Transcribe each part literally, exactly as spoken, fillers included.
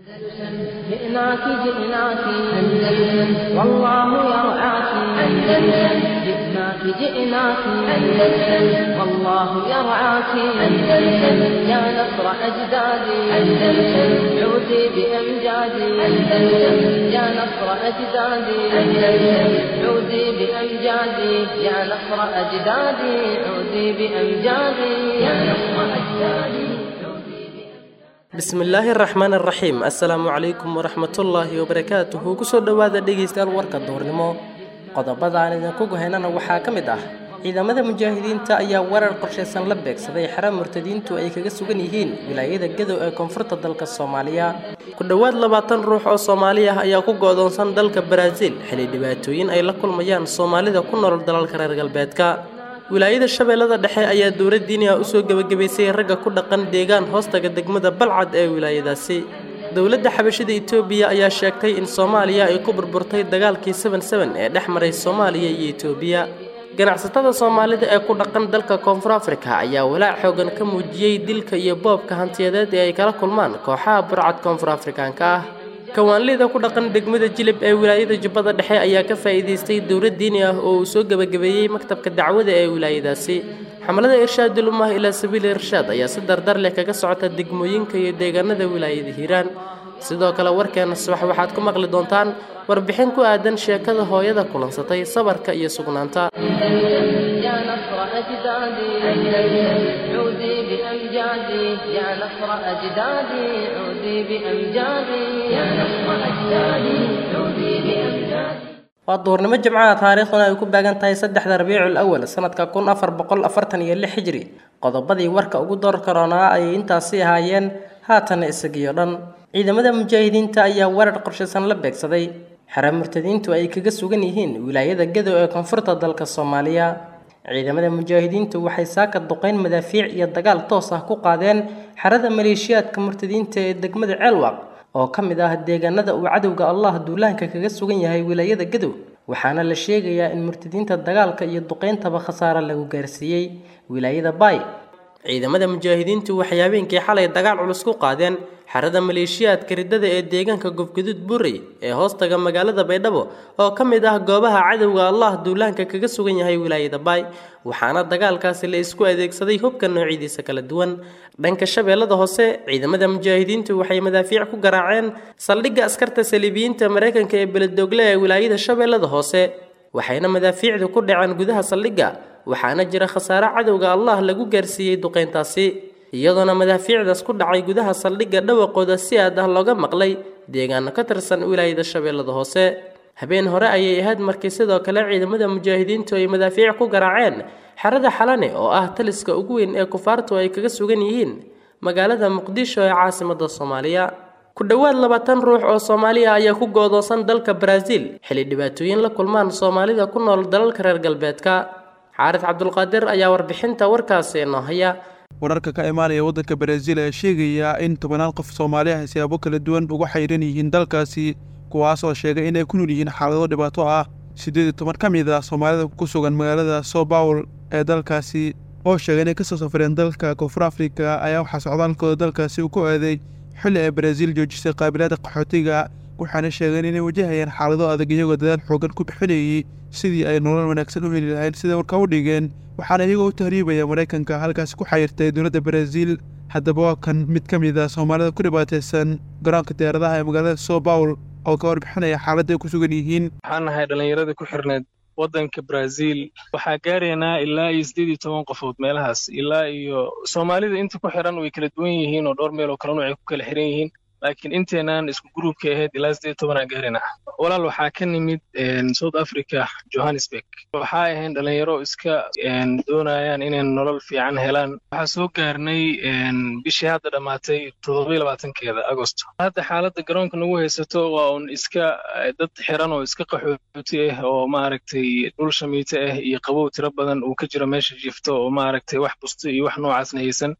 جئناك جئناك أندلسن والله يرعاك أندلسن جئناك جئناك أندلسن والله يرعاك أندلسن يا نصر أجدادي أندلسن عودي بأمجادي أندلسن يا نصر أجدادي أندلسن عودي بأمجادي يا نصر أجدادي عودي بأمجادي يا نصر أجدادي. Bismillaahi raxmaani raxiim. Assalaamu calaykum waraxmatullaahi wabarakaatuhu. Kusoo dhowaada dhegeystayaal warka duurnimo. Qodobada aan idinku gohaynana waxaa ka mid ah ciidamada mujaahidiinta ayaa warar qorshaysan la beegsaday xero murtadiintu ay kaga sugan yihiin wilaayada Gadow ee koonfurta dalka Soomaaliya. Ku dhowaad labaatan ruux oo Soomaali ah ayaa ku go'doonsan dalka Brazil xilli dhibaatooyin ay la kulmayaan Soomaalida ku nool dalalka reer galbeedka. Wilaayada Shabeellada Dhexe ayaa dowlad diini ah usoo gebagabaysay ragga ku dhaqan deegaan hoostaga degmada Balcad ee wilaayadaasi. Dowladda xabashida Itoobiya ayaa sheegtay in Soomaaliya ay ku burburtay dagaalkii seven seven ee dhex maray Soomaaliya iyo Itoobiya. Ganacsatada Soomaalida ee ku dhaqan dalka Koonfur Afrika ayaa walaac xoogan ka muujiyey dilka iyo boobka hantiyadeed ee ay kala kulmaan kooxaha burcad Koonfur Afrikaanka ah. Kawaanlida ku dhaqan degmada Jilib ee wilaayada Jubbada Dhexe ayaa ka faa'iideystay dowlad diini ah oo uu soo gebagabeeyey maktabka dacwada ee wilaayadaasi. Xamalada Irshaadul Ummah ilaa Sabiil Irshaad ayaa si dardar leh kaga socota degmooyinka iyo deegaanada wilaayada Hiiraan. Sidoo kale warkeena subax waxaad ku maqli doontaan warbixin ku aadan sheekada hooyada kulansatay sabarka iyo sugnaanta. يا نصر أجدادي أندلسن عودي بأمجادي يا نصر أجدادي عودي بأمجادي يا نصر أجدادي عودي بأمجادي. Waa duurnimo Jimcaha, taariikhduna ay ku baagan tahay saddexda Rabiicul Awal sanadka kun afar boqol afartan iyo lix Hijri. Qodobadii warka ugu door karoonaa ayay intaasi ahaayeen, haatana isagiyo dhan. Ciidamada mujaahidiinta ayaa weerar qorshaysan la beegsaday xero murtadiintu ay kaga sugan yihiin wilaayada Gadow ee koonfurta dalka Soomaaliya. Ciidamada mujaahidiintu waxay saaka duqeyn madaafiic iyo dagaal toos ah ku qaadeen xerada maleeshiyaadka murtadiinta ee degmada Ceelwaq oo ka mid ah deegaanada uu cadowga Allah duulaanka kaga sugan yahay wilaayada Gadow, waxaana la sheegayaa in murtadiinta dagaalka iyo duqeyntaba khasaare lagu gaarsiiyey wilaayada Bay. Ciidamada mujaahidiintu waxay habeenkii xalay dagaal culus ku qaadeen xerada maleeshiyaadka riddada ee deegaanka Gobgaduud Burey ee hoostaga magaalada Baydhabo oo ka mid ah goobaha cadowga Allah duulaanka kaga sugan yahay wilaayada Bay, waxaana dagaalkaasi la isku adeegsaday hubka noocyadiisa kala duwan. Dhanka Shabeellada Hoose, ciidamada mujaahidiintu waxay madaafiic ku garaaceen saldhigga askarta saliibiyiinta Mareykanka ee Beledoogle ee wilaayada Shabeellada Hoose, waxayna madaafiicdu ku dhaceen gudaha saldhigga, waxaana jira khasaare cadowga Allah lagu gaarsiiyey duqeyntaasi, iyadoona madaafiicdaas ku dhacay gudaha saldhigga dhawaqooda si aad ah looga maqlay deegaano ka tirsan wilaayada Shabeellada Hoose. Habeen hore ayay ahayd markii sidoo kale ciidamada mujaahidiintu ay madaafiic ku garaaceen xerada Xalane oo ah taliska ugu weyn ee kufaartu ay kaga sugan yihiin magaalada Muqdisho ee caasimadda Soomaaliya. Ku dhowaad labaatan ruux oo Soomaali ah ayaa ku go'doonsan dalka Brazil xilli dhibaatooyin la kulmaan Soomaalida ku nool dalalka reer galbeedka. Xaaris Cabdulqaadir ayaa warbixinta warkaasi inoo haya. Wararka ka imaanaya waddanka Brazil ayaa sheegaya in tobannaan qof Soomaali ah siyaabo kala duwan ugu xayran yihiin dalkaasi, kuwaas oo sheegay inay ku nool yihiin xaalado dhibaato ah. Siddeed iyo toban ka mid ah Soomaalida ku sugan magaalada São Paulo ee dalkaasi oo sheegay inay kasoo safreen dalka Koonfur Afrika ayaa waxaa socdaalkooda dalkaasi uu ku aaday xilli ay Brazil joojisay qaabilaadda qaxootiga, waxaana sheegeen inay wajahayaan xaalado adag iyagoo dadaal xoogan ku bixinayay sidii ay nolol wanaagsan u heli lahayn sida warka u dhigeen, waxaana iyagoo u tahriibaya Maraykanka halkaasi ku xayirtay dowladda Brazil. Haddaba waa kan mid ka mid ah Soomaalida ku dhibaataysan garoonka diyaaradaha ee magaalada São Paulo oo ka warbixinaya xaaladda ay ku sugan yihiin. Waxaan nahay dhallinyaradii ku xirneed waddanka Brazil, waxaa gaaraynaa ilaa iyo siddeed iyo toban qofood meelahaas, ilaa iyo Soomaalida inta ku xiran way kala duwan yihiin oo dhowr meel oo kala nooc ay ku kala xiran yihiin, laakiin inteenaan isku gruubka ahayd ilaa siddeed iyo toban aan gaaraynaa. Walaal waxaa ka nimid South Africa, Johannesburg. Waxaa ahayn dhalinyaro iska doonayaan inay nolol fiican helaan. Waxaa soo gaarnay bishii hadda dhammaatay toddoba iyo labaatankeeda Agosto. Hadda xaaladda garoonka nagu haysato waa un iska dad xiran oo iska qaxooti ah oo maaragtay dhul shamiito ah iyo qabow tiro badan uu ka jiro meesha jiifto oo maaragtay wax busto iyo wax noocaasna haysan.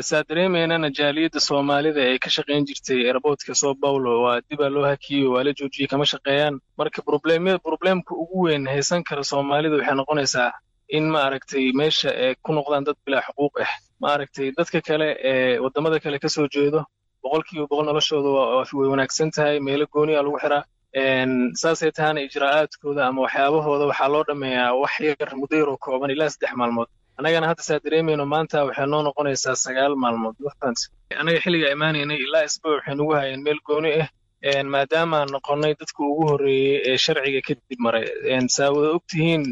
Saa dareemaynana jaaliyadda Soomaalida ee ka shaqayn jirtay airportka São Paulo waa dibaa loo hakiyey, waa la joojiyey, kama shaqeeyaan. Marka problemyada problemka ugu weyn haysan kara Soomaalida waxay noqonaysaa in maaragtay meesha ay ku noqdaan dad bilaa xuquuq ah. Maaragtay dadka kale ee waddamada kale ka soo jeedo Boqolkiiba boqol noloshooda way wanaagsan tahay, meelo gooniya lagu xiraa. Saasay tahana ijraa'aadkooda ama waxyaabahooda waxaa loo dhammeeyaa wax yar, muddo yaroo kooban, ilaa saddex maalmood. Annagana hadda saa dareemayno, maanta waxay noo noqonaysaa sagaal maalmood. Annaga xilliga imaanaynay ilaa isbuuc waxay nagu hayeen meel gooni ah, maadaamaan noqonnay dadka ugu horreeyey ee sharciga kadib maray. Saa wada ogtihiin,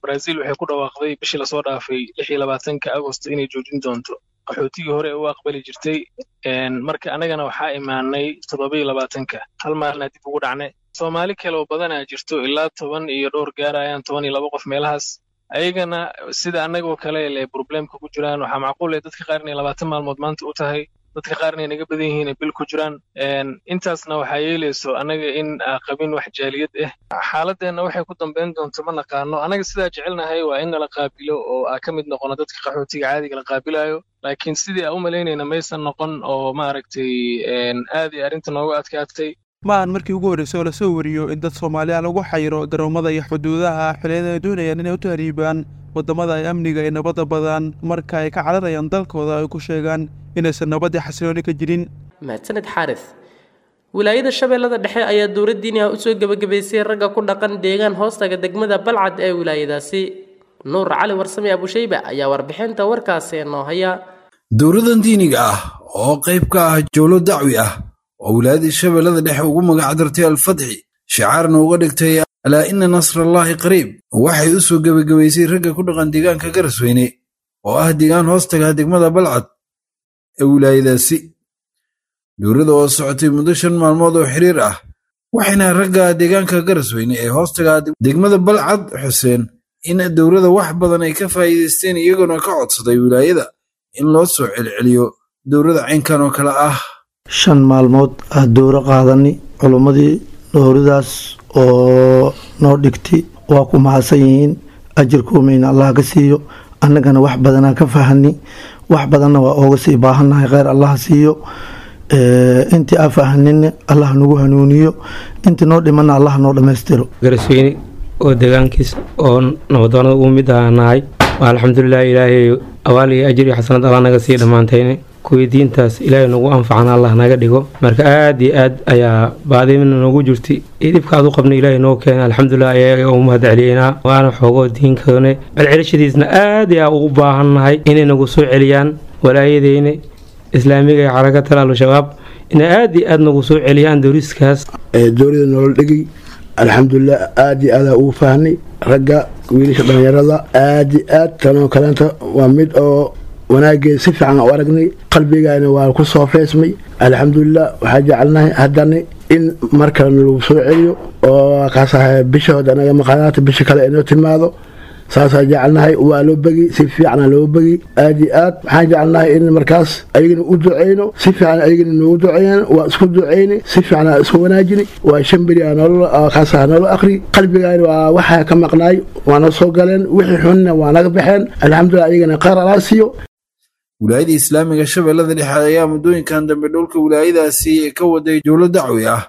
Brazil waxay ku dhawaaqday bishii lasoo dhaafay lix iyo labaatanka Agost inay joojin doonto qaxootigii hore u aqbali jirtay. Marka annagana waxaa imaanay toddoba iyo labaatanka, hal maalina dib ugu dhacnay. Soomaali kale oo badanaa jirto, ilaa toban iyo dhowr gaarayaan, toban iyo laba qof meelahaas. Ayagana sida annagoo kale le problemka ku jiraan. Waxaa macquul eh dadka qaar inay labaatan maalmood maanta u tahay, dadka qaarna ay naga badan yihiin ay bil ku jiraan. Intaasna waxaa yeelayso annaga in aa qabin wax jaaliyad ah. Xaaladeenna waxay ku dambeyn doonto ma naqaano. Annaga sidaa jecelnahay waa in nala qaabilo oo aa ka mid noqono dadka qaxootiga caadiga la qaabilayo, laakiin sidii aa u malaynayna maysan noqon oo maaragtay aad ay arrinta noogu adkaatay. Ma ahan markii ugu horreysay oo lasoo wariyo in dad Soomaaliya lagu xayiro garoomada iyo xuduudaha xilliyada ay doonayaan inay u tahriibaan waddamada ay amniga iyo nabadda badan, marka ay ka cararayaan dalkooda ay ku sheegaan inaysan nabadii xasilooni ka jirin. Mahadsaned Xaaris. Wilaayada Shabeellada Dhexe ayaa dowlad diini ah usoo gebagabaysay ragga ku dhaqan deegaan hoostaga degmada Balcad ee wilaayadaasi. Nuur Cali Warsame Abushayba ayaa warbixinta warkaasi noo haya. Dowladan diiniga ah oo qayb ka ah jowlo dacwi ah oo wilaayada Shabeellada Dhexe ugu magac dartay Alfatxi, shicaarna uga dhigtay alaa ina nasrallaahi qariib, waxay u soo gebagabaysay ragga ku dhaqan deegaanka Garasweyne oo ah deegaan hoostaga degmada Balcad ee wilaayadaasi. Dowladda oo socotay muddo shan maalmood oo xiriir ah, waxayna ragga deegaanka Garasweyne ee hoostaga degmada Balcad xuseen in dowladda wax badan ay ka faa'iidaysteen, iyagoona ka codsaday wilaayada in loo soo celceliyo dowladda caynkan oo kale ah. Shan maalmood ah dowro qaadani, culummadii dowradaas oo noo dhigtay waa ku mahadsan yihiin, ajirkuumayna Allah ka siiyo. Annagana wax badanaa ka fahani, wax badanna waa ooga sii baahannahay. Kheyr Allah siiyo. Intii aa fahanina Allah nagu hanuuniyo, intii noo dhimanna Allah noo dhammaystiro. Garasweyne oo deegaankiis oo nabadoonada ugu mid ahanahay, alxamdulilah, Ilaahay awaal iyo ajir iyo xasanad Allah naga sii dhammaantayne, kuwii diintaas Ilaahay nagu anfacana Allah naga dhigo. Marka aad iyo aad ayaa baadimina noogu jirtay iyo dhibka aad u qabnay Ilaahay noo keena, alxamdulilah, ayaga ugu mahad celiyeynaa. Waana xoogoo diinkoone celcelishadiisna aad ayaa ugu baahannahay inay nagu soo celiyaan walaayadeyna islaamiga ee xarakatal al-shabaab, inay aad iyo aad nagu soo celiyaan dowriskaas. Dowlada nolol dhigay, alxamdulilah, aad iyo aadaa ugu faahnay. Ragga wiilasha dhallinyarada aad iyo aad tanoo kaleenta waa mid oo wanaageed si fiican u aragnay, qalbigana waa ku soo feesmay, alxamdulilah. Waxaa jecelnahay haddana in mar kalena lagu soo celiyo oo kaasaha bisha anaga maqaanaata bisha kale inoo timaado, saasaa jecelnahay. Waa loo begi, si fiicana loo begi, aad iyo aad waxaan jecelnahay in markaas ayagana u duceyno, si fiican ayagana noogu duceeyaan. Waa isku duceyni, si fiican isku wanaajini. Waa shan beri kaasaha noola akri, qalbigaana waa waxaa ka maqnaay waana soo galeen, wixii xunna waa naga baxeen, alxamdulilah. Ayagana kheyr alaa siiyo. Wilaayada islaamiga Shabeellada Dhexe ayaa muddooyinkan dambe dhulka wilaayadaasi ka waday jowlo dacwi ah,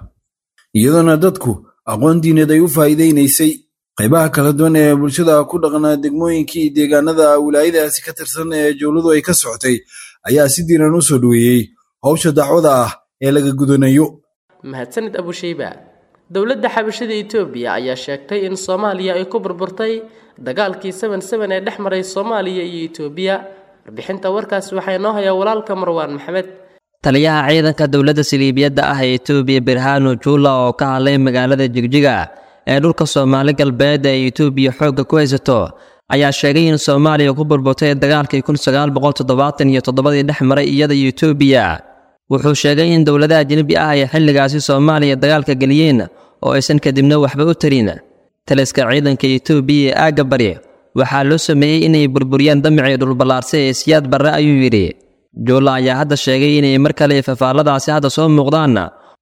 iyadoona dadku aqoon diineed ay u faa'iidaynaysay. Qaybaha kala duwan ee bulshada ku dhaqnaa degmooyinkii iyo deegaanada wilaayadaasi ka tirsan ee jowladu ay ka socotay ayaa si diiran u soo dhoweeyey howsha dacwada ah ee laga gudanayo. Mahadsanid Abushayba. Dowladda xabashada Itoobiya ayaa sheegtay in Soomaaliya ay ku burburtay dagaalkii seven seven ee dhex maray Soomaaliya iyo Itoobiya. Warbixinta warkaasi waxaa inoo hayaa walaalka Marwaan Maxamed. Taliyaha ciidanka dowladda saliibiyadda ah ee Itoobiya Birhanu Juula oo ka hadlay magaalada Jigjiga ee dhulka Soomaali Galbeed ee Itoobiya xoogga ku haysato ayaa sheegay in Soomaaliya ku burburtay dagaalkii kun sagaal boqol toddobaatan iyo toddobadii dhex maray iyada iyo Itoobiya. Wuxuu sheegay in dowladaha ajnabi ah ay xilligaasi Soomaaliya dagaalka geliyeen oo aysan kadibna waxba u tarin. Taliska ciidanka Itoobiya ee aagga bari waxaa loo sameeyey inay burburiyaan damacii dhulballaarse ee Siyaad Barre, ayuu yidhi. Juula ayaa hadda sheegay inay mar kale fafaalladaasi hadda soo muuqdaan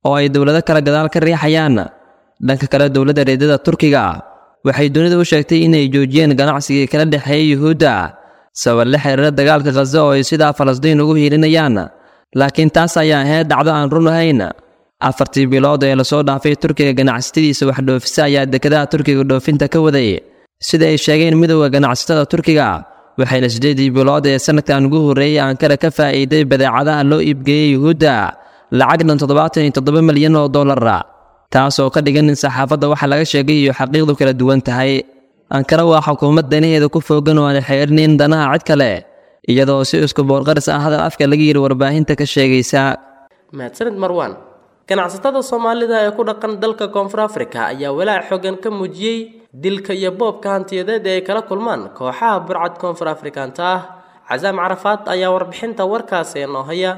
oo ay dowlado kale gadaal ka riixayaan. Dhanka kale, dowladda reedada Turkiga waxay dunida u sheegtay inay joojiyeen ganacsigii kala dhexeeyay Yuhuudda sabab la xiriira dagaalka Khaza oo ay sidaa Falastiin ugu hiilinayaan, laakiin taas ayaa ahayd dhacdo aan run ahayn. Afartii bilood ee lasoo dhaafay, Turkiga ganacsatadiisa wax dhoofisa ayaa dekedaha Turkiga dhoofinta ka waday, sida ay sheegeen midowda ganacsatada Turkiga, waxayna siddeedii bilood ee sanadkan ugu horreeyey Ankara ka faa'iiday badeecadaha loo iibgeeyey Yuhuudda lacag dhan toddobaatan iyo toddoba milyan oo dollara, taasoo ka dhigan in saxaafadda waxa laga sheegay iyo xaqiiqdu kala duwan tahay. Ankara waa xukuumad danaheeda ku foogan oo aan xeerinin danaha cid kale, iyadoo si isku boorqaris ah hadal afka laga yiri warbaahinta ka sheegaysa. Mahadsanid Marwaan. Ganacsatada Soomaalida ee ku dhaqan dalka Koonfur Afrika ayaa walaac xooggan ka muujiyey dilka iyo boobka hantiyadeed ee ay kala kulmaan kooxaha burcad Koonfur Afrikaanta ah. Casaam Carafaad ayaa warbixinta warkaasi inoo haya.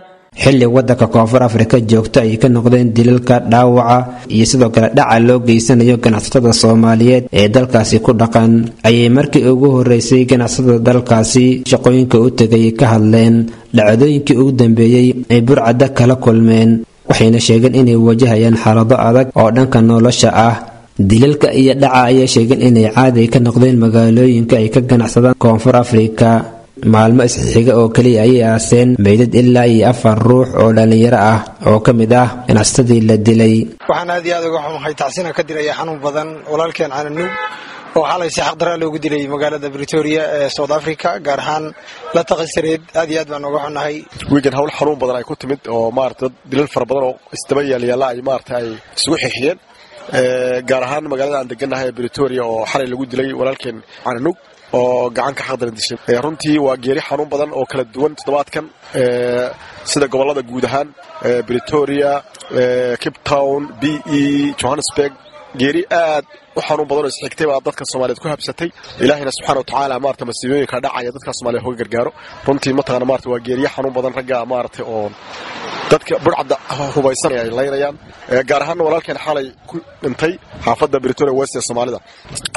Xilli waddanka Koonfur Afrika joogto ay ka noqdeen dilalka, dhaawaca iyo sidoo kale dhaca loo geysanayo ganacsatada Soomaaliyeed ee dalkaasi ku dhaqan, ayay markii ugu horeysay ganacsatada dalkaasi shaqooyinka u tegay ka hadleen dhacdooyinkii ugu dambeeyey ay burcadda kala kulmeen, waxayna sheegeen inay wajahayaan xaalado adag oo dhanka nolosha ah. Dilalka iyo dhaca ayaa sheegeen inay caadi ka noqdeen magaalooyinka ay ka ganacsadaan Koonfur Afrika. Maalmo isxiga oo keliya ayay aaseen meydad ilaa iyo afar ruux oo dhallinyaro ah oo ka mid ah ganacsatadii la dilay. Waxaan aad iyo aad uga xumahay, tacsina ka dilaya xanuun badan walaalkeen Cananuug oo xalay si xaqdaraa loogu dilay magaalada Pretoria ee South Africa, gaar ahaan la taqasareed. Aad iyo aad baan uga xunahay. Wiigan hawl xanuun badan ay ku timid oo maarata dad dilal fara badan oo isdaba yaalyaala ay maarata ay isugu xixiyeen, gaar ahaan magaalada aan degannahay ee Pretoria oo xalay lagu dilay walaalkeen Cananuug oo gacanka xaqdaran dishay. Runtii waa geeri xanuun badan oo kala duwan toddobaadkan, sida gobollada guud ahaan Pretoria, Cape Town, B E, Johannesburg. Geeri aad u xanuun badan oo isxigtay baa dadka Soomaaliyeed ku habsatay. Ilaahina subxaana wa tacaala maarata masiibooyinka dhacaya dadka Soomaaliyeed hoga gargaaro. Runtii mataqaana maarata waa geeriyo xanuun badan ragga maarata oo dadka burcadda hubaysan ay laynayaan, gaar ahaan walaalkeen xalay ku dhintay xaafadda Pretoria West ee Soomaalida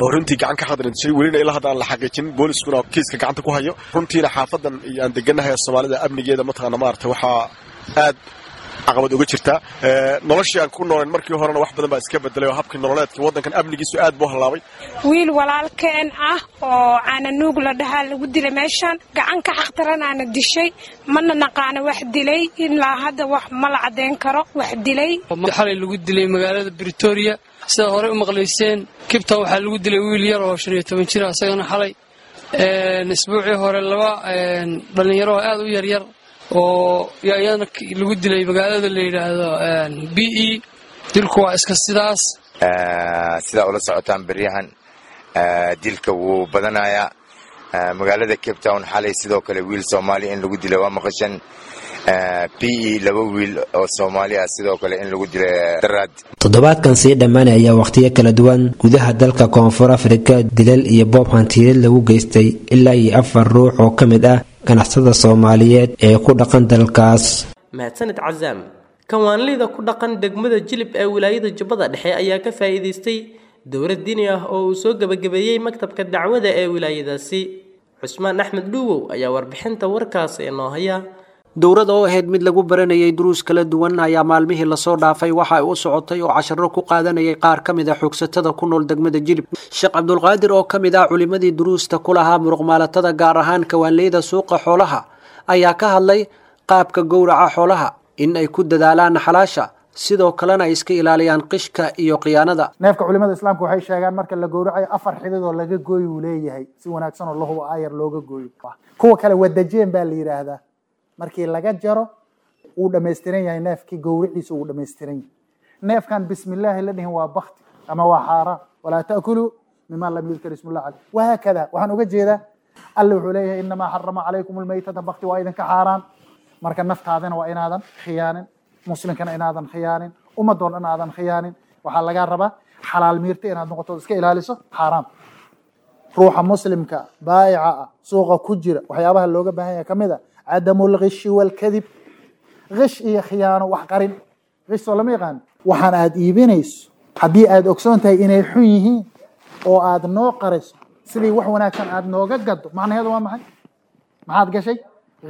oo runtii gacan ka xaqdaran dishay, welina ilaa hadda aan la xaqiijin, booliskuna kiiska gacanta ku hayo. Runtiina xaafadan iyo aan degannahay ee Soomaalida amnigeeda mataqaana maarata waxaa aad caqabad uga jirtaa. Noloshii aan ku noolayn markii horena wax badan baa iska bedelay oo habkii nololeedka waddankan amnigiisu aad buu hallaabay. Wiil walaalkeen ah oo Cananuug la dhahaa lagu dilay meeshaan, gacan ka xaqdaranaana dishay, mana naqaano wax dilay ilaa hadda, wax ma la caddeyn karo wax dilay. Xalay lagu dilay magaalada Pretoria, sidaad horey u maqlayseen. Cape Town waxaa lagu dilay wiil yar oo shan iyo toban jir ah isagana xalay. Isbuucii hore laba dhallinyaro oo aad u yaryar oo iyadana lagu dilay magaalada la yidhaahdo B E. Dilku waa iska sidaas. Sidaa ula socotaan beryahan dilka wuu badanayaa magaalada Cape Town. Xalay sidoo kale wiil Soomaali in lagu dilay waa maqashan. B E laba wiil oo Soomaali ah sidoo kale in lagu dilay daraad. Toddobaadkan sii dhammaanaya wakhtiyo kala duwan gudaha dalka Koonfur Afrika dilal iyo boob hantiyeed lagu geystay ilaa iyo afar ruux oo ka mid ah ganacsatada Soomaaliyeed ee ku dhaqan dalkaas. Mahadsanid Casaam. Kawaanleyda ku dhaqan degmada Jilib ee wilaayada Jubbada Dhexe ayaa ka faa'iidaystay dowlad diini ah oo uu soo gabagabeeyey maktabka dacwada ee wilaayadaasi. Cusmaan Axmed Dhuuwow ayaa warbixinta warkaasi inoo haya. Dowrada oo ahayd mid lagu baranayay duruus kala duwan ayaa maalmihii lasoo dhaafay waxa ay u socotay oo casharo ku qaadanayay qaar ka mid ah xoogsatada ku nool degmada Jilib. Sheekh Cabdulqaadir oo ka mid ah culimadii duruusta ku lahaa muruqmaalatada, gaar ahaan kawaanleyda suuqa xoolaha, ayaa ka hadlay qaabka gowraca xoolaha, in ay ku dadaalaan xalaasha, sidoo kalena ay iska ilaaliyaan qishka iyo khiyaanada. Neefka culimada islaamka waxay sheegaan marka la gowracayo afar xidid oo laga gooyo uu leeyahay, si wanaagsan oo lahubo aayar looga gooyo. Kuwa kale wadajeen baa la yidhaahdaa, markii laga jaro wuu dhammaystiran yahay neefkii, gowriciisa wuu dhammaystiran yahay. Neefkan bismillaahi la dhihin waa bakti ama waa xaaraan. Walaa ta'kuluu mima lam yudkar ismullah caleyh wahaakada. Waxaan uga jeedaa Alle wuxuu leeyahay innamaa xarama calaykum almaytata, bakti waa idinka xaaraan. Marka naftaadana waa inaadan khiyaanin, muslimkana inaadan khiyaanin, ummadoo dhan aadan khiyaanin. Waxaa lagaa rabaa xalaal miirta inaad noqoto, iska ilaaliso xaaraam. Ruuxa muslimka baayica ah suuqa ku jira waxyaabaha looga baahan yahay kamid a cadamu lghishi walkadib. Ghish iyo khiyaano, wax qarin. Ghish soo lama yaqaan. Waxaan aad iibinayso haddii aad ogsoon tahay inay xun yihiin oo aad noo qariso sidii wax wanaagsan aad nooga gado, macnaheedu waa maxay? Maxaad gashay?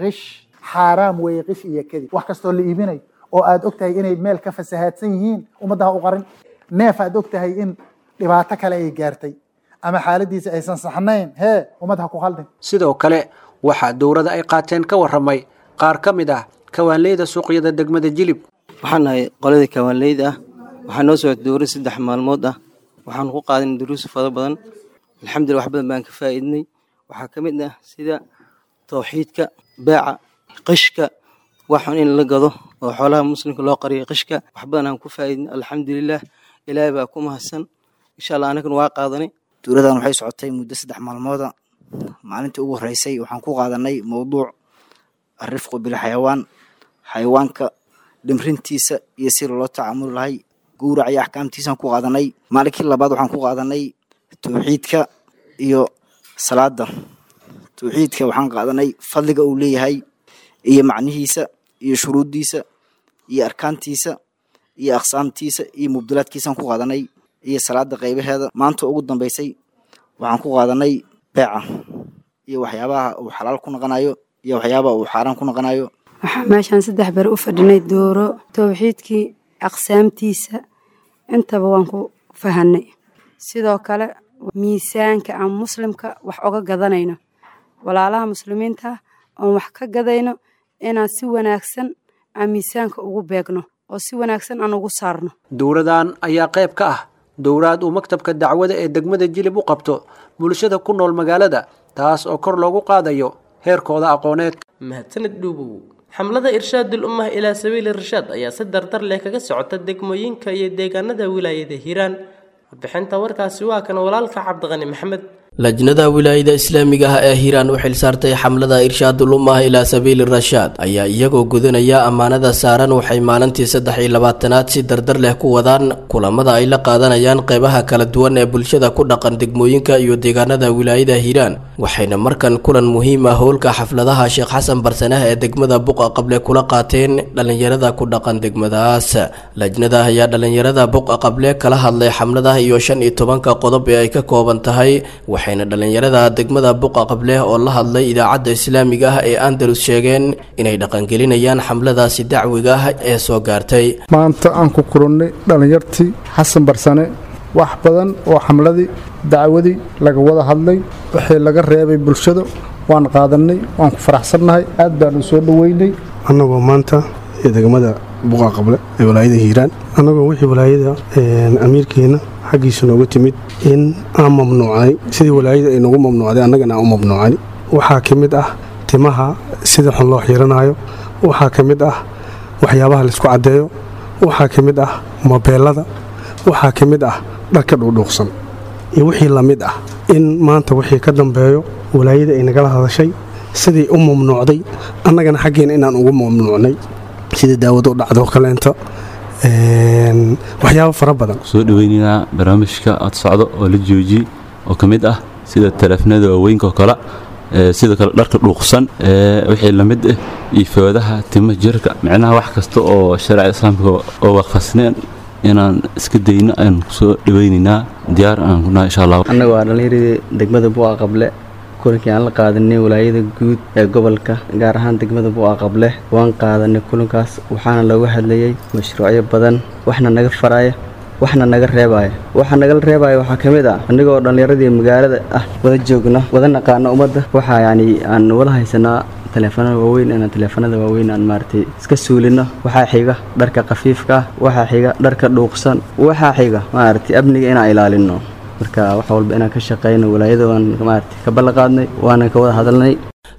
Ghish xaaraam weeye, qish iyo kadib. Wax kastoo la iibinayo oo aad og tahay inay meel ka fasahaadsan yihiin, ummadda ha u qarin. Neef aad og tahay in dhibaato kale ay gaartay ama xaaladiisa aysan saxnayn, hee, ummad ha ku khaldin. Sidoo kale waxaa dowrada ay qaateen ka warramay qaar ka mid ah kawaanleyda suuqyada degmada Jilib. Waxaan nahay qoladii kawaanleyda ah. Waxaa noo socotay dowrad saddex maalmood ah. Waxaan ku qaadanay duruus fara badan. Alxamdulillah, wax badan baan ka faa'iidnay. Waxaa ka mid ah sida tawxiidka, beeca, qishka, waxun in la gado Oo xoolaha muslimka loo qariyo qishka wax badan aan ku faa'iidnay, alxamdulilah, ilaahay baa ku mahadsan. Insha Allah anagana waa qaadanay. Dowladan waxay socotay muddo saddex maalmooda. Maalintii ugu horeysay waxaan ku qaadanay mowduuc alrifqu bilxayawaan, xayawaanka dhimrintiisa iyo si loola tacaamuli lahay, gowrac iyo axkaamtiisaan ku qaadanay. Maalinkii labaad waxaan ku qaadanay towxiidka iyo salaada. Towxiidka waxaan qaadanay fadliga uu leeyahay iyo macnihiisa iyo shuruuddiisa iyo arkaantiisa iyo aqsaamtiisa iyo mubdilaadkiisaan ku qaadanay iyo salaada qaybaheeda. Maanta ugu dambeysay waxaan ku qaadanay beeca iyo waxyaabaha uu xalaal ku noqonayo iyo waxyaabaha uu xaaraan ku noqonayo. Waxaa meeshaan saddex beri u fadhinay dooro towxiidkii aqsaamtiisa intaba waan ku fahanay. Sidoo kale miisaanka aan muslimka wax oga gadanayno, walaalaha muslimiinta oon wax ka gadayno, inaan si wanaagsan aan miisaanka ugu beegno oo si wanaagsan aan ugu saarno. Dowladan ayaa qayb ka ah dowlaad uu maktabka dacwada ee degmada Jilib u qabto bulshada ku nool magaalada, taas oo kor loogu qaadayo heerkooda aqooneed. Mahadsanid Dhuubow. Xamlada Irshaadul Ummah ilaa Sabiili Irshaad ayaa si dardar leh kaga socota degmooyinka iyo deegaanada wilaayada Hiiraan. Warbixinta warkaasi waa kan walaalka Cabdiqani Maxamed. Lajnada wilaayada islaamiga ah ee Hiiraan u xilsaartay xamlada Irshaadul Ummah ilaa Sabiili Rashaad ayaa iyagoo gudanaya ammaanada saaran waxay maalintii saddex iyo labaatanaad si dardar leh ku wadaan kulamada ay la qaadanayaan qeybaha kala duwan ee bulshada ku dhaqan degmooyinka iyo deegaanada wilaayada Hiiraan. Waxayna markan kulan muhiim ah howlka xafladaha Sheekh Xasan Barsanah ee degmada Buqa Qable kula qaateen dhalinyarada ku dhaqan degmadaas. Lajnada ayaa dhalinyarada Buqa Qable kala hadlay xamlada iyo shan iyo tobanka qodob ee ay ka kooban tahay, waxayna dhalinyarada degmada Buqa Qable oo la hadlay idaacadda islaamiga ah ee Andalus sheegeen inay dhaqangelinayaan xamladaasi dacwiga ah ee soo gaartay. Maanta aan ku kulannay dhalinyartii Xasan Barsane, wax badan oo xamladii dacwadii laga wada hadlay, wixii laga reebay bulshada waan qaadanay, waan ku faraxsannahay, aad baanu soo dhoweynay. Annagoo maanta degmada Buqa Qable ee walaayada Hiiraan, annagoo wixii walaayada amiirkeena xaggiisa nooga timid in aan mamnuucnay sidii walaayada ay noogu mamnuucday annagana aan u mamnuucnay. Waxaa ka mid ah timaha sida xun loo xiiranayo, waxaa ka mid ah waxyaabaha laisku caddeeyo, waxaa ka mid ah mobeelada, waxaa ka mid ah dharka dhuudhuuqsan iyo wixii la mid ah. In maanta wixii ka dambeeyo walaayada ay nagala hadashay sidii u mamnuucday annagana xaggeena inaan ugu mamnuucnay, sida daawada u dhacdo kaleenta, waxyaabo fara badan. Soo dhaweynaynaa barnaamijka aad socdo oo la joojiyey oo ka mid ah sida taleefanada waaweynka oo kale, sidoo kale dharka dhuuqsan wixii la mid ah iyo foodaha tima jirka, micnaha wax kasta oo sharciga islaamka oo waafaqsaneen inaan iska dayno ayaan kusoo dhaweynaynaa, diyaar aan ku nahay insha Allah. Annaga waa dhallinyaradii degmada Buqa Qable. Kulankii aan la qaadanay walaayada guud ee gobolka, gaar ahaan degmada Buqa Qable, waan qaadanay kulankaas. Waxaana looga hadlayay mashruucyo badan, waxna naga faraya waxna naga reebaya. Waxa nagala reebaya waxaa ka mid ah annagoo dhallinyaradii magaalada ah wada joogna, wada naqaano ummadda, waxaa yacni aan wada haysanaa taleefanada waaweyn, inaan taleefanada waaweyn aan maaragtay iska suulino. Waxaa xiga dharka khafiifka ah, waxaa xiga dharka dhuuqsan, waxaa xiga maaragtay amniga inaan ilaalino. Marka wax walba inaan ka shaqeyno walaayada waan maaragtay ka ballanqaadnay, waana ka wada hadalnay.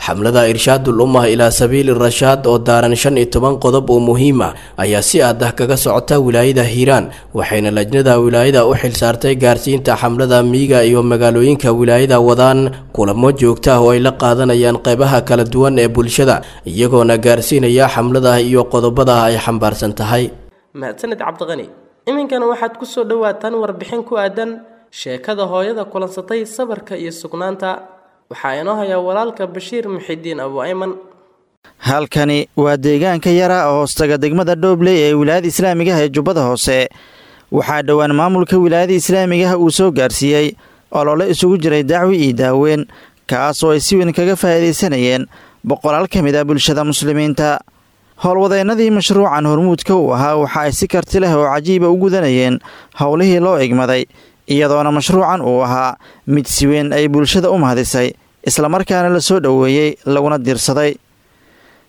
Xamlada Irshaadul Ummah ilaa Sabiili Rashaad oo daaran shan iyo toban qodob oo muhiim ah ayaa si aad ah kaga socota wilaayada Hiiraan, waxayna lajnada wilaayada u xilsaartay gaarsiinta xamlada miyiga iyo magaalooyinka wilaayada wadaan kulamo joogto ah oo ay la qaadanayaan qeybaha kala duwan ee bulshada, iyagoona gaarsiinaya xamlada iyo qodobada ay xambaarsan tahay. Mahadsanid Cabdiqani. Iminkana waxaad ku soo dhowaataan warbixin ku aadan sheekada hooyada kulansatay sabarka iyo sugnaanta. Waxaa inoo hayaa walaalka Bashiir Muxidiin Abu Ayman. Halkani waa deegaanka yara oo hoostaga degmada Dhoobley ee wilaayada islaamiga ah ee Jubbada Hoose. Waxaa dhowaan maamulka wilaayada islaamigaah uu soo gaarsiiyey olole isugu jiray dacwi iyo daaweyn, kaas oo ay si weyn kaga faa'iidaysanayeen boqolaal ka mid ah bulshada muslimiinta. Howlwadeennadii mashruucan hormuudka uu ahaa waxa ay si karti leh oo cajiiba u gudanayeen howlihii loo igmaday, iyadoona mashruucan uu ahaa mid si weyn ay bulshada u mahadisay, islamarkaana la soo dhoweeyey laguna diirsaday.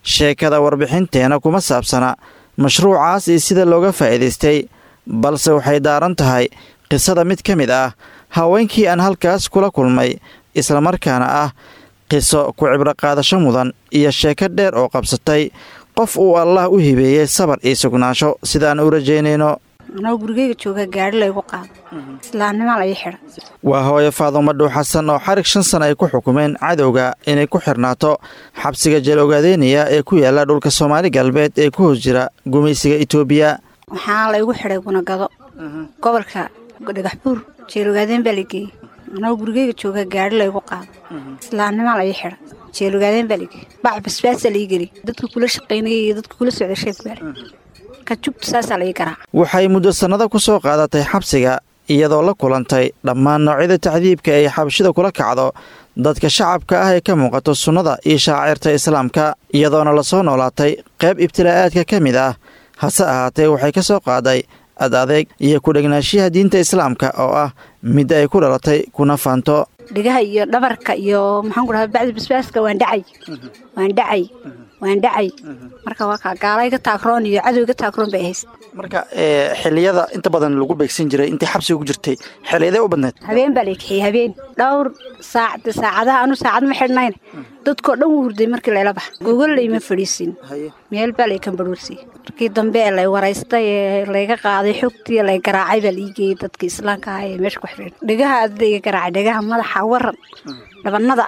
Sheekada warbixinteena kuma saabsana mashruucaas iyo sida looga faa'iidaystay, balse waxay daaran tahay qisada mid ka mid ah haweenkii aan halkaas kula kulmay, islamarkaana ah qiso ku cibro qaadasho mudan iyo sheeko dheer oo qabsatay, Qof uu Allah u hibeeyey sabar iyo sugnaansho sidaan u rajaynayno. Anoo gurigeyga jooga gaari laygu qaado, islaamnimaa la ii xidha. Waa hooyo Faadumo Dhuux Xasan oo xarig shan sana ay ku xukumeen cadowga inay ku xirnaato xabsiga jeel ogaadeynaya ee ku yaala dhulka Soomaali Galbeed ee ku hoos jira gumaysiga Itoobiya. Waxaa laygu xidhay Gunagado, gobolka Dhagaxbuur, jeel ogaadeen baa la geeyey. Anoo gurigeyga jooga gaari laygu qaado, islaamnimaa la ii xidha, jeel ogaadeen baa la geeyey, bac basbaasaa la ii geliyey, dadka kula shaqaynayay iyo dadka kula socday sheeg baale. Waxay muddo sannado ku soo qaadatay xabsiga, iyadoo la kulantay dhammaan noocyada tacdiibka ay xabashida kula kacdo dadka shacabka ah ee ka muuqato sunnada iyo shaacirta islaamka, iyadoona lasoo noolaatay qayb ibtilaa'aadka ka mid ah. Hase ahaatee waxay ka soo qaaday ad adeeg iyo ku-dhegnaashiyaha diinta islaamka oo ah mid ay ku dhalatay kuna faanto. Dhigaha iyo dhabarka iyo maxaan ku dhahaa bacdi basbaaska waan dhacay, waan dhacay, waan dhacay. Marka waa kaa gaalayga taagroon iyo cadowga taagroon bay hayst. Marka xilliyada inta badan lagu beegsan jiray intii xabsiga ku jirtay, xilliyadee u badneed? Habeen baa la kixiyey, habeen dhowr saac, saacadaha anu saacad ma xidhnayn, dadkoo dhan wuu hurday markii layla baxa. Gogol layma fadhiisin, meel baa lay kambarhuursiyey. Markii dambe ee lay waraystay ee layga qaaday xogtii lay garaacay baa la ii geeyey dadka islaamka ah ee meesha ku xidhan. Dhegaha adda iga garaacay, dhegaha, madaxa, waran, dhabanada,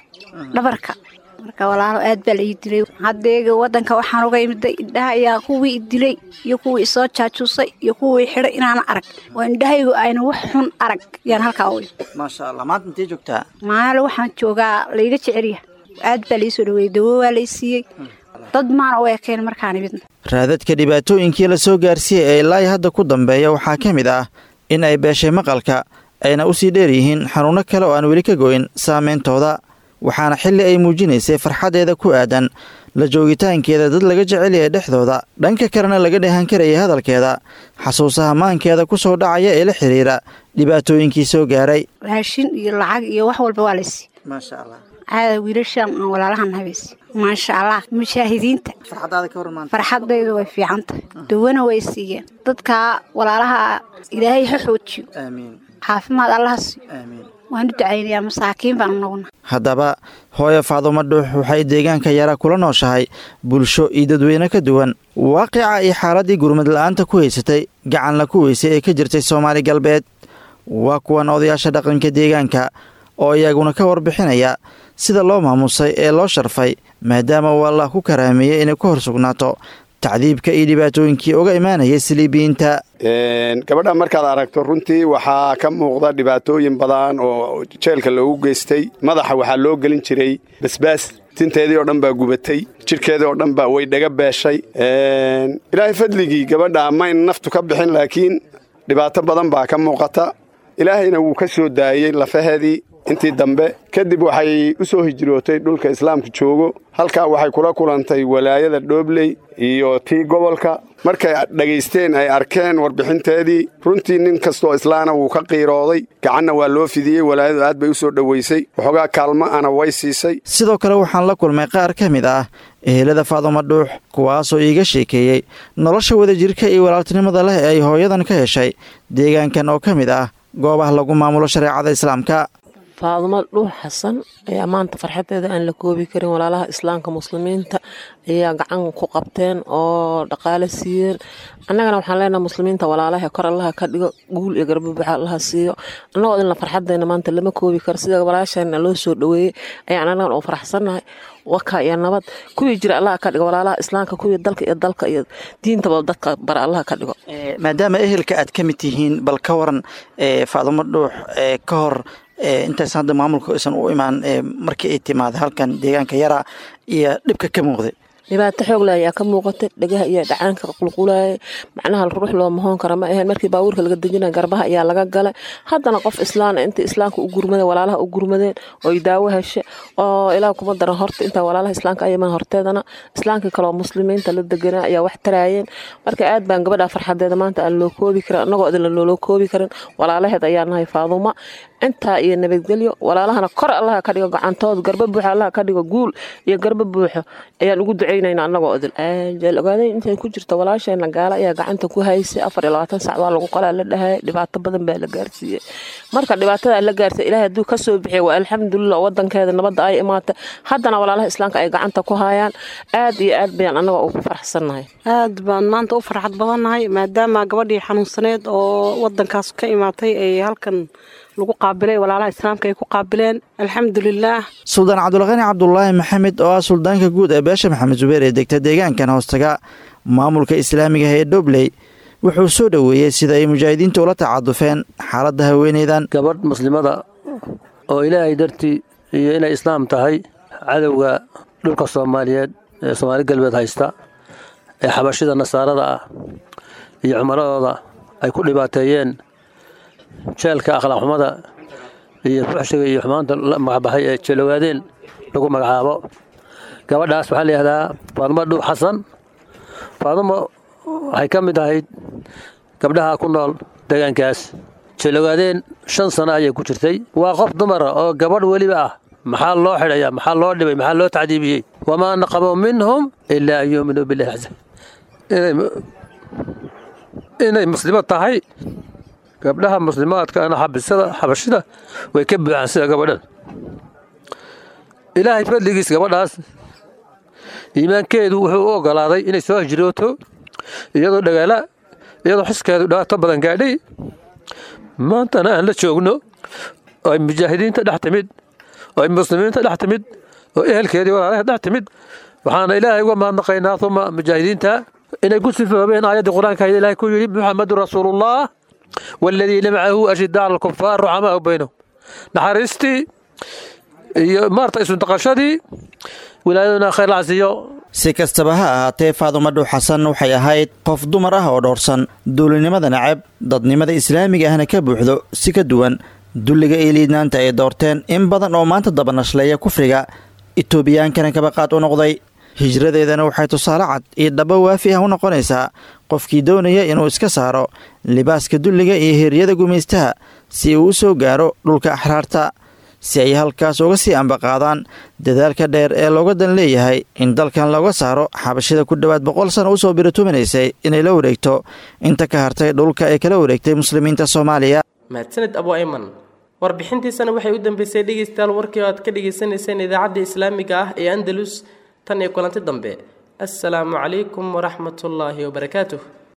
dhabarka. Marka walaalo aad baa la ii dilay. Haddeega waddanka waxaan uga imiday indhaha ayaa kuwii i dilay iyo kuwii isoo jaajuusay iyo kuwii xidhay inaana arag, oo indhahaygu ayna wax xun arag yaan halkaa u. Maasha Allah, maanta intee joogtaa? Maalo waxaan joogaa layga jecelyahay, aad baa lai soo dhaweeyey, dawo waa lay siiyey, dad maana u ekeen markaan imidna. Raadadka dhibaatooyinkii la soo gaarsiiyey ee ilaa hadda ku dambeeya waxaa ka mid ah in ay beeshay maqalka, ayna u sii dheer yihiin xanuunno kale oo aan weli ka goyn saameyntooda. Waxaana xilli ay muujinaysay farxaddeeda ku aadan la joogitaankeeda dad laga jecel yahay dhexdooda, dhanka kalena laga dheehan karayay hadalkeeda xasuusaha maankeeda ku soo dhacaya ee la xiriira dhibaatooyinkii soo gaaray. Raashin iyo lacag iyo wax walba waa laysi. Maasha Allah. Caada wiilashan aan walaalahan habaysi. Maasha Allah, mujaahidiinta. Farxadaydu way fiican tahay, dawana way siiyeen dadka walaalaha. Ilaahay ha xoojiyo. Aamiin. Caafimaad allaha siiyo. Aamiin. Waan u ducaynayaa, masaakiin baan noqona. Haddaba hooyo Faadumo Dhuux waxay deegaanka Yara kula nooshahay bulsho iyo dadweyne ka duwan waaqica iyo xaaladdii gurmad la'aanta ku haysatay gacanla ku weysay ee ka jirtay Soomaali Galbeed. Waa kuwan odayaasha dhaqanka deegaanka oo iyaguna ka warbixinaya sida loo maamusay ee loo sharfay, maadaama uu Allah ku karaameeyey inay ku hor sugnaato tacdiibka iyo dhibaatooyinkii uga imaanayay saliibiyiinta. Gabadha markaad aragto runtii waxaa ka muuqda dhibaatooyin badan oo jeelka loogu geystay. Madaxa waxaa loo gelin jiray basbaas, tinteedii oo dhan baa gubatay, jidhkeedii oo dhan baa way dhaga beeshay. Ilaahay fadligii gabadha mayn naftu ka bixin, laakiin dhibaato badan baa ka muuqata. Ilaahayna wuu ka soo daayey lafaheedii intii dambe. Kadib waxay u soo hijrootay dhulka islaamka joogo. Halkaa waxay kula kulantay walaayada Dhoobley iyo tii gobolka. Markay dhegaysteen ay arkeen warbixinteedii, runtii nin kastoo islaana wuu ka qiirooday, gacanna waa loo fidiyey. Walaayadu aad bay u soo dhoweysay, waxoogaa kaalmo ana way siisay. Sidoo kale waxaan la kulmay qaar ka mid ah ehelada Faadumo Dhuux, kuwaasoo iiga sheekeeyey nolosha wadajirka iyo walaaltinimada leh ee ay hooyadan ka heshay deegaankan oo ka mid ah goobaha lagu maamulo shareecada islaamka. Faadumo Dhuux Xasan ayaa maanta farxadeeda aan la koobi karin. Walaalaha islaamka muslimiinta ayaa gacan ku qabteen oo dhaqaale siiyeen. Annagana waxaan leenahay muslimiinta walaalaha kor Allaha ka dhigo, guul iyo garbabuuxa Allaha siiyo. Annagoo idinla farxadeena maanta lama koobi karo. Sida walaasheena loo soo dhoweeyey ayaan annagana oo faraxsannahay. Waka iyo nabad kuwii jira Allaha ka dhigo, walaalaha islaamka kuwii dalka iyo dalka iyo diintaba dadka bara Allaha ka dhigo. Maadaama ehelka aad ka mid tihiin, bal ka waran Faadumo Dhuux ka hor intaysan hadda maamulka aysan u imaan, markii ay timaada halkan deegaanka Yara iyo dhibka ka muuqday? Dhibaato xoog leh ayaa ka muuqatay, dhegaha iyo dhacaanka qulqulayay, macnaha ruux loo mahoon kara ma ahayn. Markii baabuurka laga dejinaya garbaha ayaa laga galay. Haddana qof islaan intii islaamka u gurmadeen, walaalaha u gurmadeen oo daawo heshe oo ilaah kuma daran. Horta intaa walaalaha islaamka ayaman horteedana islaamka kaloo muslimiinta la deganaa ayaa wax taraayeen. Marka aad baan gabadha farxadeeda maanta aan loo koobi karin, annagoo idin loo koobi karin. Walaalaheed ayaa nahay Faadumo, intaa iyo nabadgelyo. Walaalahana kor Allaha ka dhigo, gacantooda garba buuxa Allaha ka dhigo, guul iyo garba buuxo ayaan ugu duceynaa. ducaynayna annagoo idil. Jeel Ogaaday intay ku jirta walaasheena gaala ayaa gacanta ku haysay, afar iyo labaatan sac waa lagu qalaa la dhahaya, dhibaato badan baa la gaarsiiyey. Marka dhibaatada la gaarsiiyey, Ilaahay hadduu kasoo bixiyo waa alxamdulilah, wadankeeda nabadda ay imaatay, haddana walaalaha islaamka ay gacanta ku hayaan, aad iyo aad bayaan annaga ugu faraxsannahay. Aad baan maanta u farxad badannahay maadaama gabadhii xanuunsaneed oo wadankaas ka imaatay ay halkan lagu qaabilay, walaalaha islaamka ay ku qaabileen, alxamdulilaah. Suldaan Cabdulqani Cabdulaahi Maxamed oo ah suldaanka guud ee beesha Maxamed Zubeer ee degta deegaankan hoostaga maamulka islaamiga ee Dhobley wuxuu soo dhoweeyey sida ay mujaahidiintu ula tacadufeen xaaladda haweeneydan. Gabadh muslimada oo Ilaahay dartii iyo inay islaam tahay cadowga dhulka Soomaaliyeed ee Soomaali Galbeed haysta ee xabashida nasaarada ah iyo cumaradooda ay ku dhibaateeyeen jeelka akhlaaq xumada iyo fuxshiga iyo xumaanta la magacbaxay ee Jeelogaadeen lagu magacaabo. Gabadhaas waxaa la yidhahdaa Faadumo Dhuux Xasan. Faadumo waxay ka mid ahayd gabdhaha ku nool deegaankaas Jeelogaadeen, shan sano ayay ku jirtay. Waa qof dumara oo gabadh weliba ah. Maxaa loo xidhayaa? Maxaa loo dhibay? Maxaa loo tacdiibiyey? Wamaa naqamu minhum ilaa an yuuminuu billahi caza inay muslimad tahay. Gabdhaha muslimaadka ana xabisada xabashida way ka buuxaan sida gabadhan. Ilaahay fadligiis gabadhaas iimaankeedu wuxuu u ogolaaday inay soo hijrooto iyadoo dhagaala, iyadoo xiskeedu dhibaato badan gaadhay. Maantana aan la joogno oo ay mujaahidiinta dhex timid oo ay muslimiinta dhex timid oo ehelkeedii walaalaha dhex timid. Waxaana Ilaahay uga mahadnaqaynaa uma mujaahidiinta inay ku sifoobeen aayaddii Qur-aanka ahayd Ilaahay ku yidhi: Muxamedun rasuulullah waaladiina macahu ashiddaa cala alkufaar ruxamaau baynahum. Naxariistii iyo maarta isundaqashadii wilaayaduna khayr la casiyo. Si kastaba ha ahaatee, Faadumo Dhuux Xasan waxay ahayd qof dumar ah oo dhowrsan, duulinimada nacab, dadnimada islaamiga ahna ka buuxdo, si ka duwan dulliga iyo liidnaanta ay doorteen in badan oo maanta dabanashleeya kufriga Itoobiyaankana kabaqaad u noqday. Hijradeedana waxay tusaale cad iyo dhabo waafi ah u noqonaysaa qofkii doonaya inuu iska saaro libaaska dulliga iyo heeryada gumaystaha si uu u soo gaaro dhulka axraarta, si ay halkaas uga sii ambaqaadaan dadaalka dheer ee looga dan leeyahay in dalkan looga saaro xabashida ku dhowaad boqol sano usoo birituminaysay inay la wareegto inta ka hartay dhulka ay kala wareegtay muslimiinta Soomaaliya. Mahadsanid Abu Ayman. Warbixintiisana waxay u dambeysay dhegeystayaal warkii oo aad ka dhagaysanayseen idaacadda islaamiga ah ee Andalus. Tan iyo kulanti dambe, assalaamu calaykum waraxmatullaahi wabarakaatuh.